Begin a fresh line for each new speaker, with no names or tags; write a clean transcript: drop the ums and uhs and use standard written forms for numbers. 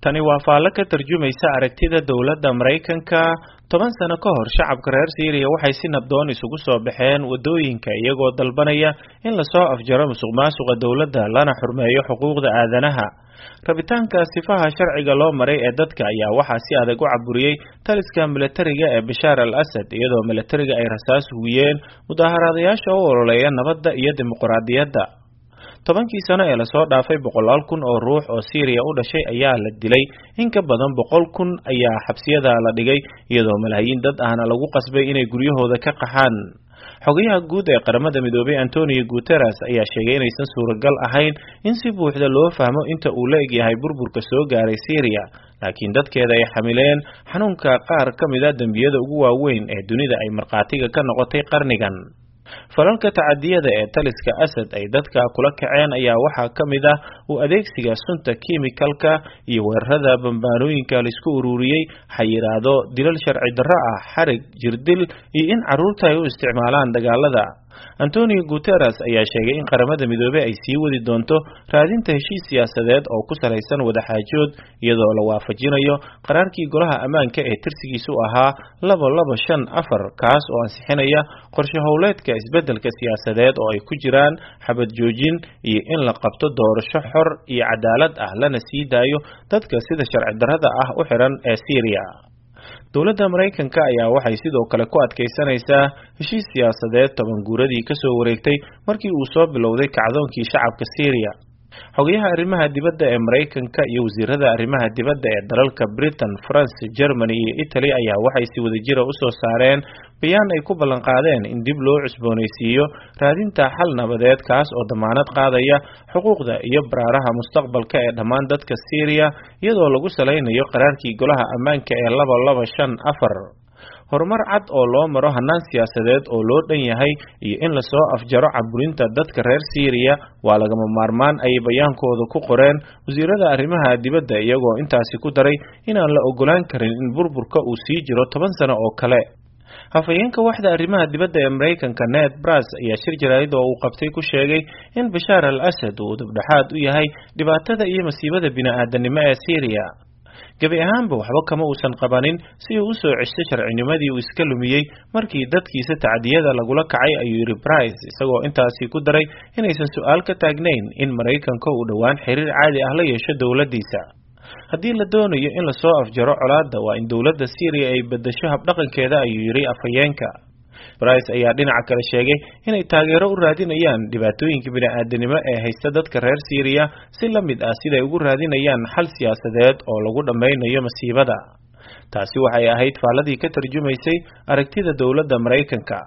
Tani waa faallo ka tarjumaysa aragtida dowladda Maraykanka. 10 sano ka hor, shacabka reer Siiriya waxay si nabdoon isugu soo baxeen waddooyinka, iyagoo dalbanaya in lasoo afjaro musuqmaasuqa dowladda lana xurmeeyo xuquuqda aadanaha. Rabitaanka sifaha sharciga loo maray ee dadka ayaa waxaa si adag u caburiyey taliska milatariga ee Bashaar al Asad, iyadoo milatariga ay rasaas hugiyeen mudaaharaadayaasha u ololeeya nabadda iyo dimuqraadiyadda. 10kii sano ee lasoo dhaafay, boqolaal kun oo ruux oo Siiriya u dhashay ayaa la dilay, in ka badan 100,000 ayaa xabsiyada la dhigay, iyadoo malaayiin dad ahna lagu qasbay inay guryahooda ka qaxaan. Xogayaha guud ee Qaramada Midoobay, Antonio Guterres, ayaa sheegay inaysan suuragal ahayn in si buuxda loo fahmo inta uu la egyahay burburka soo gaaray Siiriya, laakiin dadkeeda ay xamileen xanuunka qaar ka mid ah dembiyada ugu waaweyn ee dunida ay markhaatiga ka noqotay qarnigan. Falalka tacadiyada ee taliska Asad ay dadka kula kaceen ayaa waxaa ka mid ah u adeegsiga sunta kiimikalka iyo weerarada bambaanooyinka laisku ururiyey, xayiraado, dilal sharci darro ah, xarig, jirdil iyo in carruurta ay u isticmaalaan dagaalada. Antonio Guterres ayaa sheegay in Qaramada Midoobey ay sii wadi doonto raadinta heshiis siyaasadeed oo ku salaysan wadaxaajood, iyadoo la waafajinayo qaraarkii Golaha Ammaanka ee tirsigiisu ahaa 2254, kaas oo ansixinaya qorshe howleedka isbeddelka siyaasadeed oo ay ku jiraan xabad joojin iyo in la qabto doorasho xor iyo cadaalad ah, lana sii daayo dadka sida sharci darrada ah u xiran ee Siiriya. Dowladda Maraykanka ayaa waxay sidoo kale ku adkaysanaysaa heshiis siyaasadeed 10 guuradii kasoo wareegtay markii uu soo bilowday kacdoonkii shacabka Siiriya. Xogayaha arrimaha dibadda ee Maraykanka iyo wasiirada arrimaha dibadda ee dalalka Britain, France, Germany iyo Italy ayaa waxay si wadajira u soo saareen bayaan ay ku ballanqaadeen in dib loo cusboonaysiiyo raadinta xal nabadeed, kaas oo damaanad qaadaya xuquuqda iyo baraaraha mustaqbalka ee dhammaan dadka Siiriya, iyadoo lagu salaynayo qaraarkii Golaha Ammaanka ee 2254. Horumar cad oo loo maro hannaan siyaasadeed oo loo dhan yahay iyo in lasoo afjaro caburinta dadka reer Siiriya waa lagama maarmaan, ayay bayaankooda ku qoreen wasiirada arrimaha dibadda, iyagoo intaasi ku daray inaan la ogolaan karin in burburka uu sii jiro 10 sano oo kale. Hafayeenka waxda arrimaha dibadda ee Maraykanka, Ned Price, ayaa shir jaraa'id oo uu qabtay ku sheegay in Bashaar al Asad uu dibdhexaad u yahay dhibaatada iyo masiibada bini'aadanimo ee Siiriya. Gebi ahaanba waxba kama uusan qabanin si uu usoo cesho sharcinimadii uu iska lumiyey markii dadkiisa tacdiyada lagula kacay, ayuu yidhi Price, isagoo intaasi ku daray inaysan su-aal ka taagnayn in Maraykanka uu dhowaan xiriir caadi ah la yeesho dowladdiisa. Haddii la doonayo in lasoo afjaro colaadda, waa in dowladda Siiriya ay beddesho habdhaqankeeda, ayuu yidhi afhayeenka. Price ayaa dhinaca kale sheegay inay taageero u raadinayaan dhibaatooyinka bini'aadanimo ee haysta dadka reer Siiriya, si la mid ah siday ugu raadinayaan xal siyaasadeed oo lagu dhammaynayo masiibada. Taasi waxay ahayd faalladii ka tarjumaysay aragtida dowladda Maraykanka.